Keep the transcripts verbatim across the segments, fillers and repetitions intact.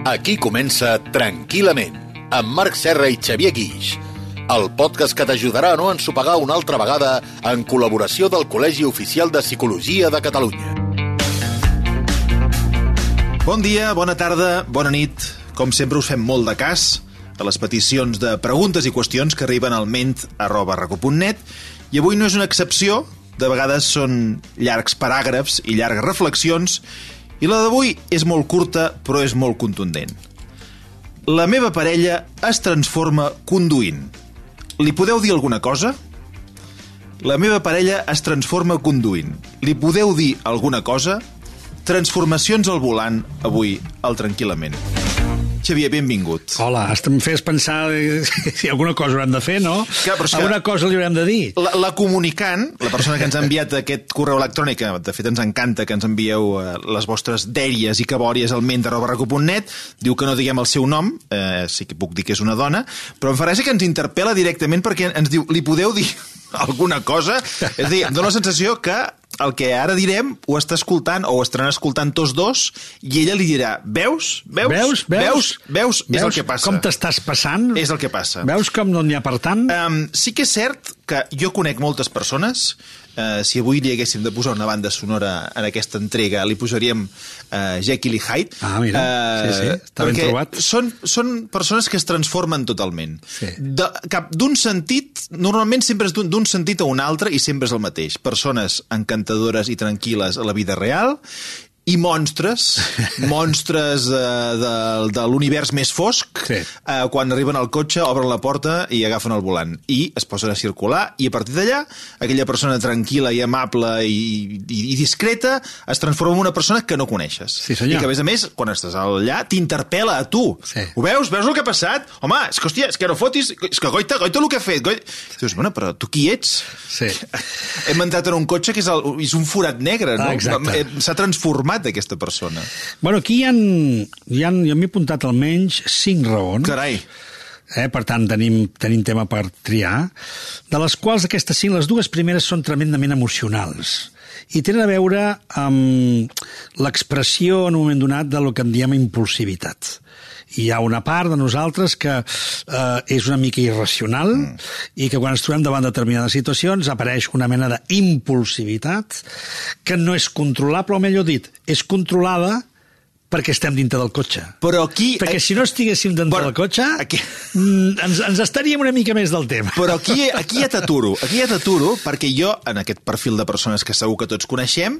Aquí comença Tranquil·lament, amb Marc Serra i Xavier Guix, el podcast que t'ajudarà a no ensopegar una altra vegada en col·laboració del Col·legi Oficial de Psicologia de Catalunya. Bon dia, bona tarda, bona nit. Com sempre us fem molt de cas a les peticions de preguntes i qüestions que arriben al ment arroba raco punt net i avui no és una excepció, de vegades són llargs paràgrafs i llargues reflexions i la d'avui és molt curta però és molt contundent. La meva parella es transforma conduint. Li podeu dir alguna cosa? La meva parella es transforma conduint. Li podeu dir alguna cosa? Transformacions al volant, avui, al Tranquil·lament. Xavier, benvingut. Hola, em fes pensar si alguna cosa haurem de fer, no? Que, que alguna cosa li haurem de dir. La, la comunicant, la persona que ens ha enviat aquest correu electrònic, que de fet ens encanta que ens envieu eh, les vostres dèries i cabòries al ment arroba raco punt net, diu que no diguem el seu nom, eh, sí que puc dir que és una dona, però em fa gràcia que ens interpel·la directament perquè ens diu, li podeu dir alguna cosa? És a dir, em dóna la sensació que el que ara direm ho està escoltant o ho estaran escoltant tots dos i ella li dirà, veus? Veus? Veus? Veus? Veus? És Veus el que passa. Com t'estàs passant? És el que passa. Veus com no n'hi ha per tant? Um, sí que és cert que jo conec moltes persones. Uh, si avui li haguéssim de posar una banda sonora en aquesta entrega, li posaríem uh, Jekyll i Hyde. Ah, mira, uh, sí, sí, està ben trobat. Són, són persones que es transformen totalment. Sí. De, cap d'un sentit, normalment sempre és d'un sentit a un altre i sempre és el mateix. Persones encantadores i tranquil·les a la vida real i monstres, monstres uh, de, de l'univers més fosc, sí. uh, quan arriben al cotxe, obren la porta i agafen el volant. I es posen a circular i a partir d'allà, aquella persona tranquil·la i amable i, i, i discreta es transforma en una persona que no coneixes. Sí, senyor. I que, a més a més, quan estàs allà, t'interpel·la a tu. Sí. Ho veus? Veus el que ha passat? Home, és que, hòstia, és que no fotis... És que goita, goita el que ha fet. Goita... Dius, bueno, però tu qui ets? Sí. Hem entrat en un cotxe que és, el, és un forat negre, no? Ah, s'ha transformat aquesta persona. Bueno, aquí hi ha, hi ha jo m'he apuntat almenys cinc raons. Carai. Eh, per tant, tenim, tenim tema per triar, de les quals aquestes cinc, les dues primeres són tremendament emocionals i tenen a veure amb l'expressió en un moment donat de lo que en diem impulsivitat. Hi ha una part de nosaltres que eh, és una mica irracional mm. i que quan ens trobem davant de determinades situacions apareix una mena d'impulsivitat que no és controlable, o millor dit, és controlada perquè estem dintre del cotxe. Però aquí... Perquè si no estiguéssim dintre però, del cotxe, aquí... ens, ens estaríem una mica més del tema. Però aquí, aquí ja t'aturo, aquí ja t'aturo, perquè jo, en aquest perfil de persones que segur que tots coneixem,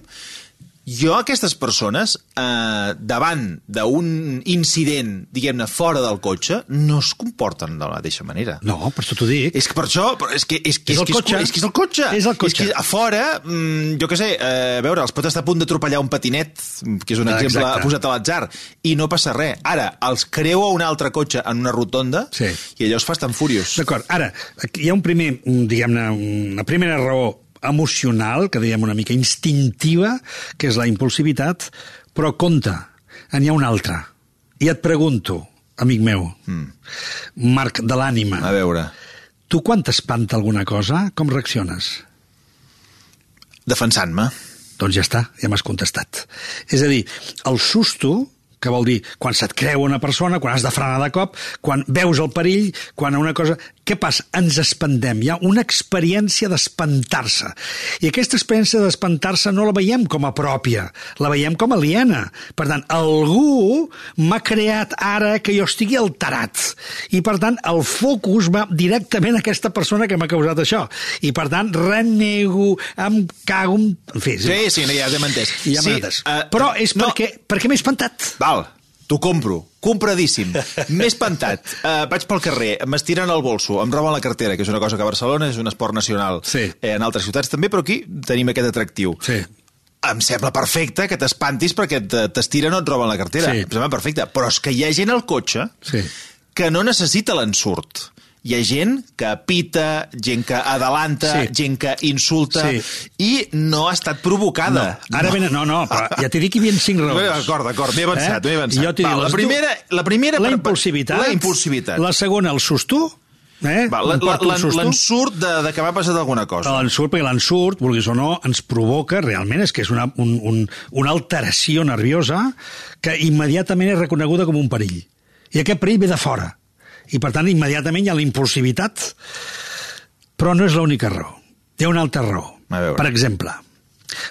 jo, aquestes persones, eh, davant d'un incident, diguem-ne, fora del cotxe, no es comporten de la mateixa manera. No, per això t'ho dic. És que per això... És que és, que, és, és, el que és, cotxe. és que és el cotxe. És el cotxe. És que a fora, mm, jo què sé, eh, a veure, els pot estar a punt d'atropellar un patinet, que és un ah, exemple exacte. posat a l'atzar, i no passa res. Ara, els creua un altre cotxe en una rotonda sí. i allò es fa tan furiós. D'acord. Ara, hi ha un primer, diguem-ne, una primera raó emocional, que diguem una mica instintiva, que és la impulsivitat, però compte, n'hi ha una altra. I et pregunto, amic meu, mm. Marc de l'ànima, a veure, tu quan t'espanta alguna cosa, com reacciones? Defensant-me. Doncs ja està, ja m'has contestat. És a dir, el susto, que vol dir quan se't creu una persona, quan has de frenar de cop, quan veus el perill, quan una cosa... Què passa? Ens espantem. Hi ha una experiència d'espantar-se. I aquesta experiència d'espantar-se no la veiem com a pròpia, la veiem com a aliena. Per tant, algú m'ha creat ara que jo estigui alterat. I, per tant, el focus va directament a aquesta persona que m'ha causat això. I, per tant, renego, em cago... En fi, sí, sí, ja t'hem entès. Ja sí, entès. Uh, Però és no. perquè, perquè m'he espantat. Val, t'ho compro. Compradíssim. M'he espantat. Uh, vaig pel carrer, m'estiren el bolso, em roben la cartera, que és una cosa que a Barcelona és un esport nacional. Sí. Eh, en altres ciutats també, però aquí tenim aquest atractiu. Sí. Em sembla perfecte que t'espantis perquè t'estiren o et roben la cartera. Sí. Em sembla perfecte. Però és que hi ha gent al cotxe sí. que no necessita l'ensurt. Hi ha gent que pita, gent que adelanta, sí. gent que insulta, sí. i no ha estat provocada. No. Ara no. Ben, no, no, però ja t'he dit que hi havia cinc raons. D'acord, d'acord, m'he avançat, eh? m'he avançat. Jo t'he dit, Va, la primera, la primera... La per, impulsivitat. La impulsivitat. La segona, el susto. Eh? Va, l'ensurt de, de que m'ha passat alguna cosa. L'ensurt, perquè l'ensurt, vulguis o no, ens provoca, realment, és que és una, un, un, una alteració nerviosa que immediatament és reconeguda com un perill. I aquest perill ve de fora. I, per tant, immediatament hi ha la impulsivitat, però no és l'única raó. Hi ha una altra raó. Per exemple,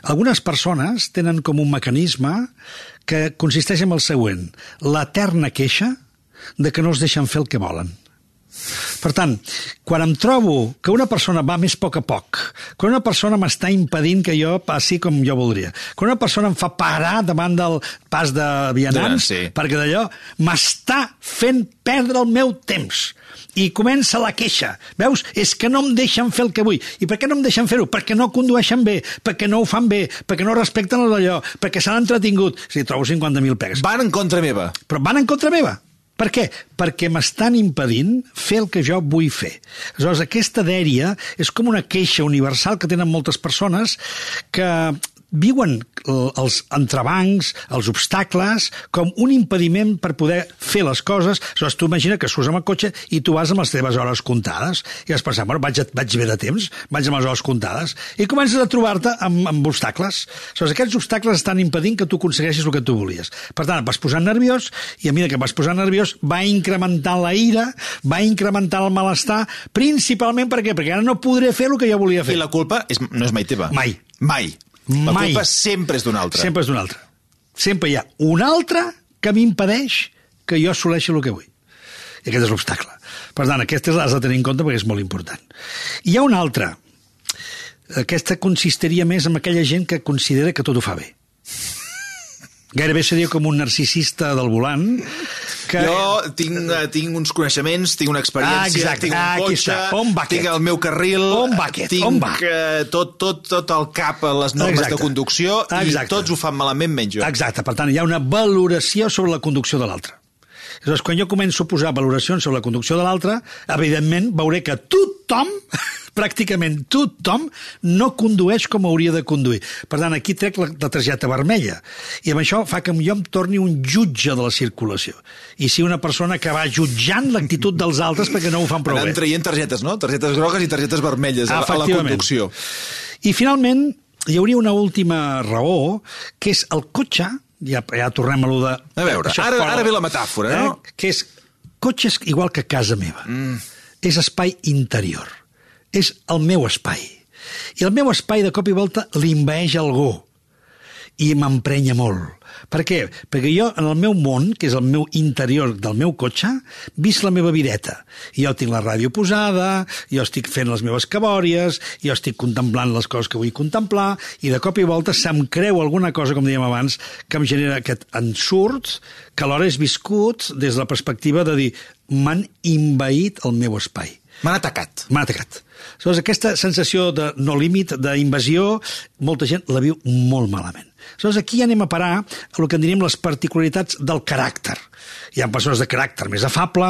algunes persones tenen com un mecanisme que consisteix en el següent: l'eterna queixa de que no els deixen fer el que volen. Per tant, quan em trobo que una persona va més a poc a poc, que una persona m'està impedint que jo passi com jo voldria, que una persona em fa parar davant del pas de vianants, sí. perquè d'allò m'està fent perdre el meu temps, i comença la queixa. Veus? És que no em deixen fer el que vull. I per què no em deixen fer-ho? Perquè no condueixen bé, perquè no ho fan bé, perquè no respecten d'allò, perquè s'han entretingut. O sigui, trobo cinquanta mil pegues. Van en contra meva. Però van en contra meva. Per què? Perquè m'estan impedint fer el que jo vull fer. Aleshores, aquesta dèria és com una queixa universal que tenen moltes persones que viuen els entrebancs, els obstacles, com un impediment per poder fer les coses. Aleshores, tu imagina que surts amb el cotxe i tu vas amb les teves hores comptades i vas pensar, bueno, vaig, vaig bé de temps, vaig amb les hores comptades, i comences a trobar-te amb, amb obstacles. Aleshores, aquests obstacles estan impedint que tu aconsegueixis el que tu volies. Per tant, et vas posant nerviós, i a mesura que vas posant nerviós va incrementant la ira, va incrementant el malestar, principalment per què? Perquè ara no podré fer el que jo volia fer. I la culpa és, no és mai teva. Mai. Mai. La Mai. culpa sempre és d'un altre. Sempre és d'un altre. Sempre hi ha un altre que m'impedeix que jo assoleixi el que vull. I aquest és l'obstacle. Per tant, aquest has de tenir en compte perquè és molt important. I hi ha un altre. Aquesta consistiria més en aquella gent que considera que tot ho fa bé. Gairebé seria com un narcisista del volant. Que... Jo tinc, tinc uns coneixements, tinc una experiència, ah, exacte, tinc un cotxe, tinc el meu carril, on va aquest? tinc on va? tot, tot, tot el cap a les normes exacte. de conducció exacte. I tots ho fan malament menys jo. Exacte, per tant, hi ha una valoració sobre la conducció de l'altre. Llavors, quan jo començo a posar valoracions sobre la conducció de l'altre, evidentment veuré que tothom, pràcticament tothom, no condueix com hauria de conduir. Per tant, aquí trec la, la targeta vermella. I amb això fa que jo em torni un jutge de la circulació. I si una persona que va jutjant l'actitud dels altres perquè no ho fan prou bé. Anem traient targetes, no? Targetes grogues i targetes vermelles a, a la conducció. I finalment, hi hauria una última raó, que és el cotxe. Ja, ja tornem a allò de... A veure, ara, fora, ara ve la metàfora, eh? no? Que és, cotxe és igual que casa meva. Mm. És espai interior. És el meu espai. I el meu espai, de cop i volta, l'invaeix algú. I m'emprenya molt. Per què? Perquè jo, en el meu món, que és el meu interior del meu cotxe, visc la meva videta. I jo tinc la ràdio posada, jo estic fent les meves cabòries, jo estic contemplant les coses que vull contemplar, i de cop i volta se'm creu alguna cosa, com dèiem abans, que em genera aquest ensurt, que alhora és viscut des de la perspectiva de dir m'han invaït el meu espai. M'han atacat. M'han atacat. Aleshores, aquesta sensació de no límit, d'invasió, molta gent la viu molt malament. Aleshores, aquí anem a parar a el que en diríem les particularitats del caràcter. Hi ha persones de caràcter més afable,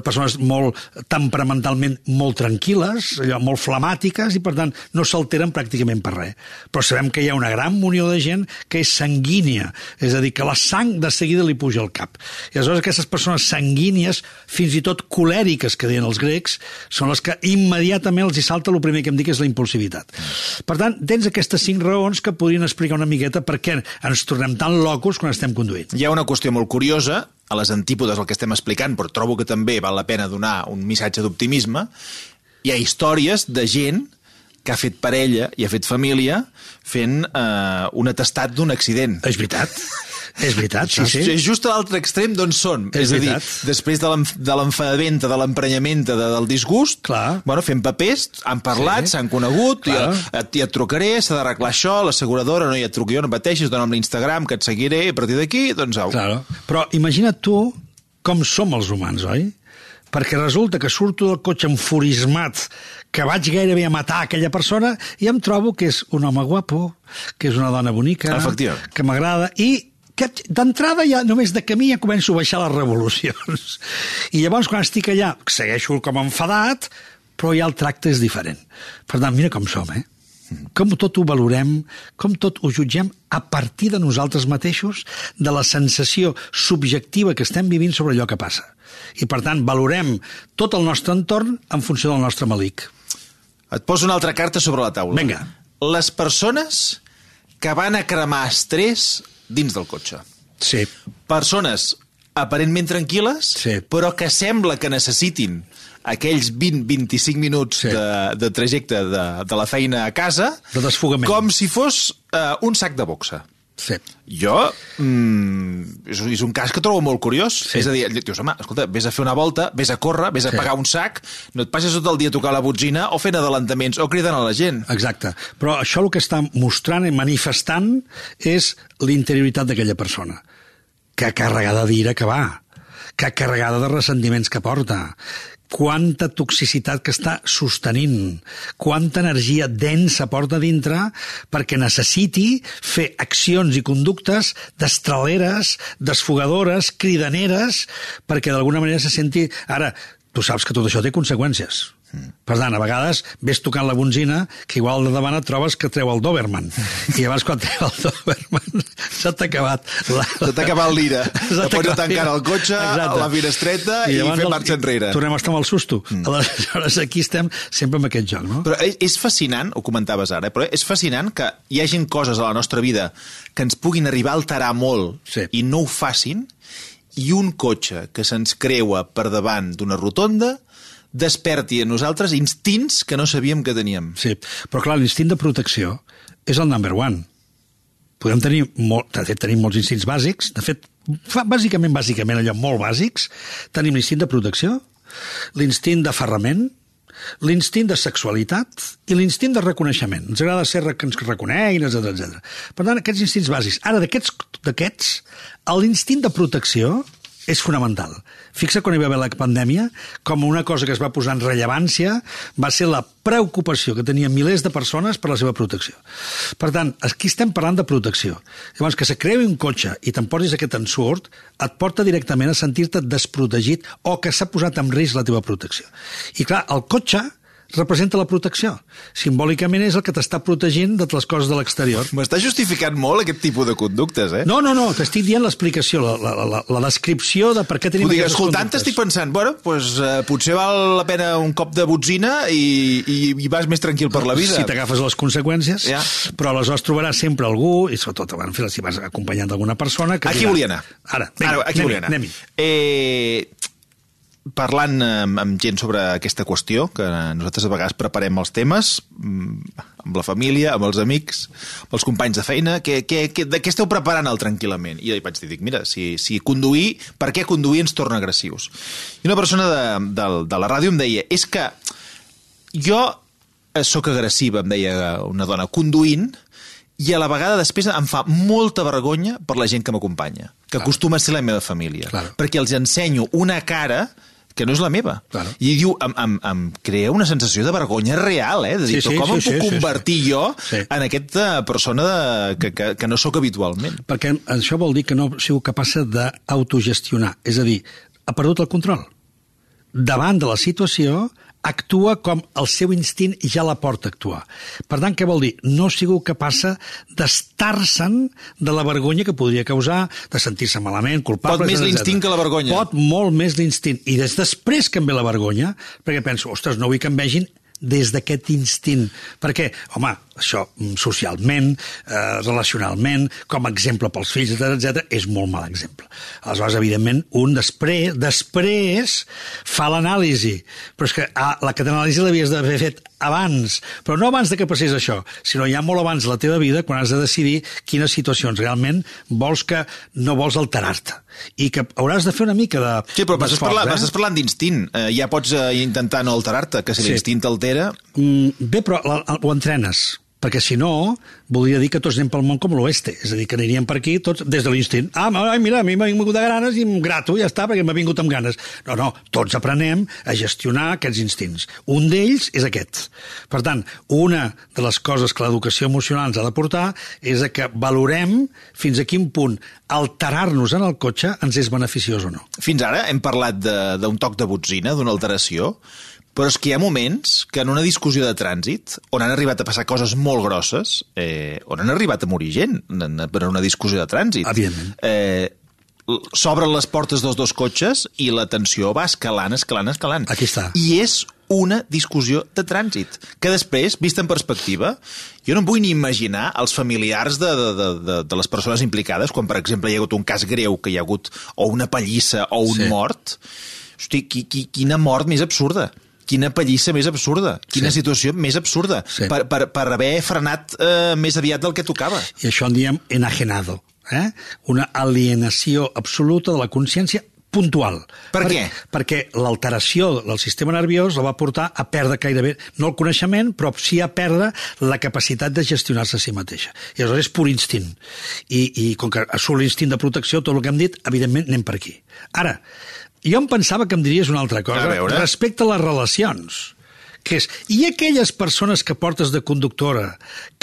persones molt temperamentalment molt tranquil·les, allò, molt flemàtiques, i per tant no s'alteren pràcticament per res. Però sabem que hi ha una gran munió de gent que és sanguínia, és a dir, que la sang de seguida li puja al cap. I aleshores aquestes persones sanguínies, fins i tot colèriques, que deien els grecs, són les que immediatament els hi salta el primer que em dic, és la impulsivitat. Per tant, tens aquestes cinc raons que podrien explicar una miqueta per què ens tornem tan locos quan estem conduint. Hi ha una qüestió molt curiosa, a les antípodes del que estem explicant, però trobo que també val la pena donar un missatge d'optimisme. Hi ha històries de gent que ha fet parella i ha fet família fent eh, un atestat d'un accident. És veritat. És veritat, sí, sí. És just a l'altre extrem d'on són. És, és a dir, després de l'enfadamenta, de l'emprenyamenta, de, del disgust, clar. Bueno, fem papers, han parlat, s'han sí. conegut, ja, et, ja et trucaré, s'ha d'arreglar això, l'asseguradora, no, ja et truco jo, no pateixis, dona'm l'Instagram, que et seguiré, a partir d'aquí, doncs au. Claro. Però imagina't tu com som els humans, oi? Perquè resulta que surto del cotxe enfurismat, que vaig gairebé a matar aquella persona, i em trobo que és un home guapo, que és una dona bonica, que m'agrada, i que d'entrada ja, només de camí, ja començo a baixar les revolucions. I llavors, quan estic allà, segueixo com enfadat, però ja el tracte és diferent. Per tant, mira com som, eh? Com tot ho valorem, com tot ho jutgem a partir de nosaltres mateixos, de la sensació subjectiva que estem vivint sobre allò que passa. I, per tant, valorem tot el nostre entorn en funció del nostre malic. Et poso una altra carta sobre la taula. Vinga. Les persones que van a cremar estrès dins del cotxe. Sí. Persones aparentment tranquil·les, sí. però que sembla que necessitin aquells vint a vint-i-cinc minuts sí. de, de trajecte de, de la feina a casa, de desfogament, com si fos uh, un sac de boxa. Sí. Jo, mm, és, és un cas que trobo molt curiós. Sí. És a dir, dius, home, escolta, vés a fer una volta, vés a córrer, vés a sí. pagar un sac, no et passes tot el dia a tocar la botzina o fent adelantaments o cridant a la gent. Exacte. Però això el que està mostrant i manifestant és l'interioritat d'aquella persona, que carregada d'ira que va, que carregada de ressentiments que porta, quanta toxicitat que està sostenint, quanta energia densa porta dintre perquè necessiti fer accions i conductes destraleres, desfogadores, cridaneres, perquè d'alguna manera se senti... Ara, tu saps que tot això té conseqüències. Mm. Per tant, a vegades ves tocant la bonzina que igual de davant et trobes que treu el Doberman. I llavors quan treu el Doberman s'ha acabat la... Se t'ha acabat l'ira. Te pots tancar el cotxe, a la finestreta i, i fer marxa enrere. Tornem a estar amb el susto. Mm. Aleshores aquí estem sempre amb aquest joc, no? Però és fascinant, ho comentaves ara, però és fascinant que hi hagin coses a la nostra vida que ens puguin arribar a alterar molt sí. i no ho facin, i un cotxe que se'ns creua per davant d'una rotonda desperti a nosaltres instints que no sabíem que teníem. Sí, però clar, l'instint de protecció és el number one. Podem tenir, molt, de fet, tenim molts instints bàsics, de fet, fa, bàsicament, bàsicament, allò molt bàsics, tenim l'instint de protecció, l'instint d'aferrament, l'instint de sexualitat i l'instint de reconeixement. Ens agrada ser que ens reconeguin, etcètera, etcètera. Per tant, aquests instints bàsics. Ara, d'aquests, l'instint de protecció és fonamental. Fixa quan hi va haver la pandèmia, com una cosa que es va posar en rellevància va ser la preocupació que tenien milers de persones per la seva protecció. Per tant, aquí estem parlant de protecció. Llavors, que se creï un cotxe i te'n portis aquest ensurt, et porta directament a sentir-te desprotegit o que s'ha posat en risc la teva protecció. I clar, el cotxe representa la protecció. Simbòlicament és el que t'està protegint de les coses de l'exterior. M'està justificant molt aquest tipus de conductes, eh? No, no, no, t'estic dient l'explicació, la, la, la, la descripció de per què tenim dir, aquestes escoltant, conductes. Escoltant, estic pensant, bueno, pues, uh, potser val la pena un cop de botzina i, i, i vas més tranquil per la vida. Si t'agafes les conseqüències, ja. Però aleshores trobaràs sempre algú, i sobretot en fi, si vas acompanyant d'alguna persona... Que aquí dirà, volia anar. Ara, vinga, Ara aquí volia anar. Anem-hi. Eh... Parlant amb, amb gent sobre aquesta qüestió, que nosaltres a vegades preparem els temes, amb la família, amb els amics, amb els companys de feina, que, que, que, de què esteu preparant el tranquil·lament? I vaig dir, mira, si, si conduir, per què conduir ens torna agressius? I una persona de, de, de la ràdio em deia, és que jo sóc agressiva, em deia una dona, conduint, i a la vegada després em fa molta vergonya per la gent que m'acompanya, que claro. Acostuma a ser la meva família, claro. Perquè els ensenyo una cara que no és la meva. Claro. I diu, em, em, em crea una sensació de vergonya real, eh? De dir, sí, sí, com sí, em puc sí, convertir sí, sí. jo sí. en aquesta persona de, que, que, que no sóc habitualment? Perquè això vol dir que no sigo capaç d'autogestionar. És a dir, ha perdut el control. Davant de la situació, actua com el seu instint ja la porta a actuar. Per tant, què vol dir? No sigo capaç d'estar-se'n de la vergonya que podria causar, de sentir-se malament, culpable... Pot més l'instint que la vergonya. Pot molt més l'instint. I des després que em ve la vergonya, perquè penso, ostres, no vull que em vegin des d'aquest instint. Perquè, home, això socialment, eh, relacionalment, com a exemple pels fills, etcètera, etcètera, és molt mal exemple. Aleshores, evidentment, un després, després fa l'anàlisi. Però és que ah, la anàlisi l'havies d'haver fet abans, però no abans de que passés això, sinó ja molt abans de la teva vida, quan has de decidir quines situacions realment vols que no vols alterar-te. I que hauràs de fer una mica de... Sí, però m'estàs parlant, eh? parlant d'instint. Eh, ja pots eh, intentar no alterar-te, que si sí. l'instint t'altera... Mm, bé, però la, la, ho entrenes. Perquè si no, voldria dir que tots anem pel món com l'oeste. És a dir, que aniríem per aquí tots des de l'instint. Ah, mira, a mi m'ha vingut de ganes i em grato, ja està, perquè m'ha vingut amb ganes. No, no, tots aprenem a gestionar aquests instints. Un d'ells és aquest. Per tant, una de les coses que l'educació emocional ens ha de portar és que valorem fins a quin punt alterar-nos en el cotxe ens és beneficiós o no. Fins ara hem parlat d'un toc de botzina, d'una alteració, Però és que hi ha moments que en una discussió de trànsit, on han arribat a passar coses molt grosses, eh, on han arribat a morir gent per una discussió de trànsit. Evidentment. Eh, s'obren les portes dels dos cotxes i la tensió va escalant, escalant, escalant. Aquí està. I és una discussió de trànsit, que després, vista en perspectiva, jo no em vull ni imaginar els familiars de, de, de, de, de les persones implicades, quan, per exemple, hi ha hagut un cas greu, que hi ha hagut o una pallissa o un sí. mort. Hosti, qui, qui, quina mort més absurda. Quina pallissa més absurda. Quina sí. situació més absurda. Sí. Per, per, per haver frenat eh, més aviat del que tocava. I això en diem enajenado. Eh? Una alienació absoluta de la consciència puntual. Per, per què? Perquè l'alteració del sistema nerviós la va portar a perdre gairebé, no el coneixement, però sí a perdre la capacitat de gestionar-se a si mateixa. I aleshores és pur instint. I, i com que surt l'instint de protecció, tot el que hem dit, evidentment anem per aquí. Ara, jo em pensava que em diries una altra cosa respecte a les relacions. Que és, i aquelles persones que portes de conductora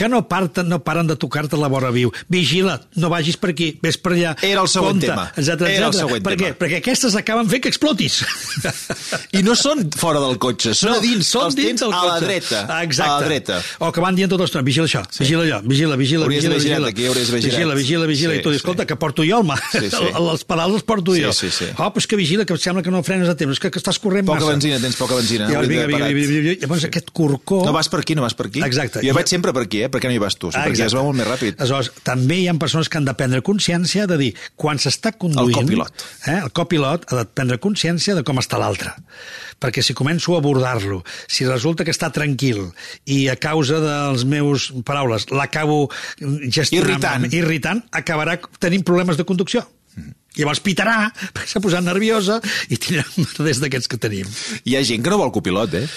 que no, parten, no paren de tocar-te la vora viu, vigila, no vagis per aquí, ves per allà, era el següent compte, tema. etcètera, Era etcètera. el següent per tema. què? Perquè aquestes acaben fent que explotis. I no són fora del cotxe, són no, a dins, són els dins tens del a la cotxe. dreta. Exacte. A la dreta. O que van dient tota l'estona, vigila això, sí. vigila allò, vigila, vigila, hauries vigila, vigila, vigila, aquí, hauries vigila, vigila, vigila, sí, i tu dius, escolta, sí. que porto jo, home, sí, sí. els pedals els porto sí, jo. Sí, sí. Oh, però és que vigila, que sembla que no frenes a temps, és que, que estàs corrent poca massa. Poca benzina, tens poca benzina. Llavors, vinga, vinga, vinga, vinga, llavors aquest corcó... No vas per aquí, no vas per aquí. Exacte. Jo vaig sempre per aquí, eh? Per què no hi vas tu? Sí, ah, perquè es va molt més ràpid. Aleshores, també hi ha persones que han de prendre consciència de dir, quan s'està conduint... El copilot. Eh, el copilot ha de prendre consciència de com està l'altre. Perquè si començo a abordar-lo, si resulta que està tranquil i a causa dels meus paraules l'acabo gestionant... Irritant. Irritant, acabarà tenint problemes de conducció. Mm. Llavors pitarà, perquè s'ha posat nerviosa i tindrà des d'aquests que tenim. Hi ha gent que no vol copilot, eh?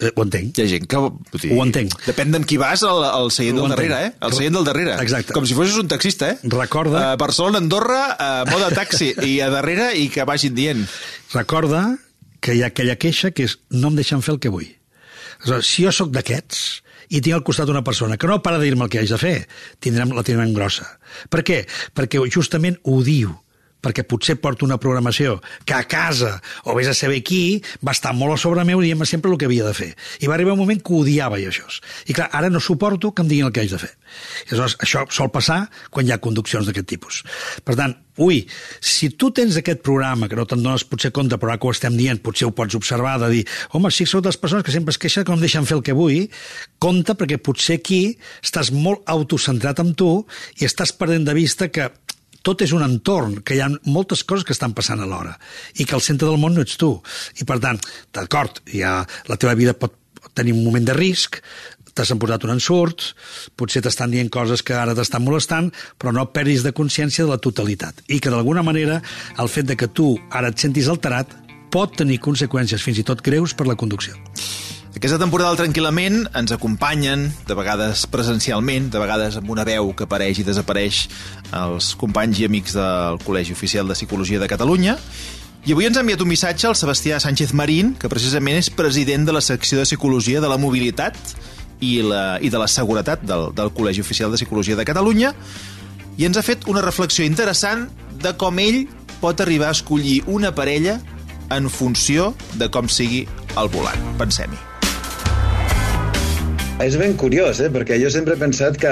Eh, ho entenc. Hi ha gent que... Dir, ho entenc. Depèn d'amb qui vas al, al seient del darrere, eh? Al seient del darrere. Exacte. Com si fossis un taxista, eh? Recorda... A Barcelona, Andorra, a moda taxi, i a darrere i que vagin dient. Recorda que hi ha aquella queixa que és no em deixen fer el que vull. Aleshores, si jo sóc d'aquests i tinc al costat una persona que no para de dir-me el que haig de fer, tindrem, la tindrem grossa. Per què? Perquè justament ho diu. Perquè potser porto una programació que a casa, o vés a saber qui, va estar molt a sobre meu dient-me sempre el que havia de fer. I va arribar un moment que odiava jo això. I clar, ara no suporto que em diguin el que haig de fer. I aleshores, això sol passar quan hi ha conduccions d'aquest tipus. Per tant, ui, si tu tens aquest programa, que no te'n dones potser compte, però ara que ho estem dient, potser ho pots observar, de dir, home, si sou de les persones que sempre es queixen que no em deixen fer el que vull, compte, perquè potser aquí estàs molt autocentrat en tu i estàs perdent de vista que tot és un entorn, que hi ha moltes coses que estan passant alhora i que el centre del món no ets tu. I, per tant, d'acord, ja la teva vida pot tenir un moment de risc, t'has posat un ensurt, potser t'estan dient coses que ara t'estan molestant, però no perdis de consciència de la totalitat. I que, d'alguna manera, el fet de que tu ara et sentis alterat pot tenir conseqüències fins i tot greus per la conducció. Aquesta temporada del Tranquil·lament ens acompanyen, de vegades presencialment, de vegades amb una veu que apareix i desapareix, els companys i amics del Col·legi Oficial de Psicologia de Catalunya. I avui ens ha enviat un missatge el Sebastià Sánchez Marín, que precisament és president de la secció de Psicologia de la Mobilitat i, la, i de la Seguretat del, del Col·legi Oficial de Psicologia de Catalunya, i ens ha fet una reflexió interessant de com ell pot arribar a escollir una parella en funció de com sigui el volant. Pensem-hi. És ben curiós, eh? Perquè jo sempre he pensat que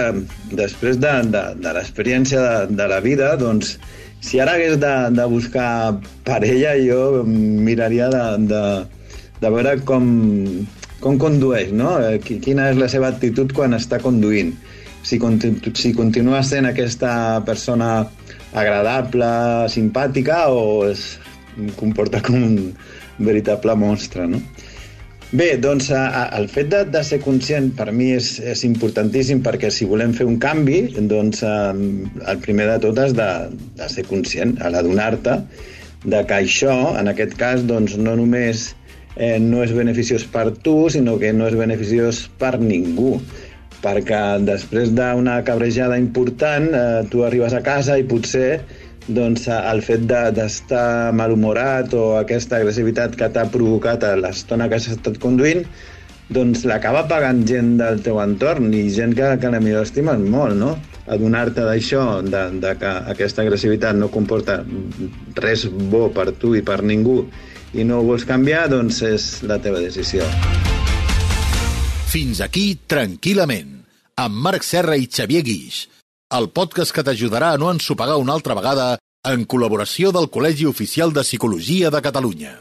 després de, de, de l'experiència de, de la vida, doncs, si ara hagués de, de buscar parella, jo miraria de, de, de veure com, com condueix, no? Quina és la seva actitud quan està conduint. Si, si continua sent aquesta persona agradable, simpàtica, o es comporta com un veritable monstre, no? Bé, doncs el fet de, de ser conscient per mi és, és importantíssim, perquè si volem fer un canvi, doncs el primer de tot és de, de ser conscient, a l'adonar-te de que això, en aquest cas, doncs no només eh, no és beneficiós per tu, sinó que no és beneficiós per ningú, perquè després d'una cabrejada important eh, tu arribes a casa i potser doncs el fet d'estar malhumorat o aquesta agressivitat que t'ha provocat a l'estona que has estat conduint, doncs l'acaba pagant gent del teu entorn i gent que, que la millor estimes molt, no? Adonar-te d'això, de, de que aquesta agressivitat no comporta res bo per tu i per ningú i no ho vols canviar, doncs és la teva decisió. Fins aquí Tranquil·lament, amb Marc Serra i Xavier Guix, el podcast que t'ajudarà a no ensopegar una altra vegada en col·laboració del Col·legi Oficial de Psicologia de Catalunya.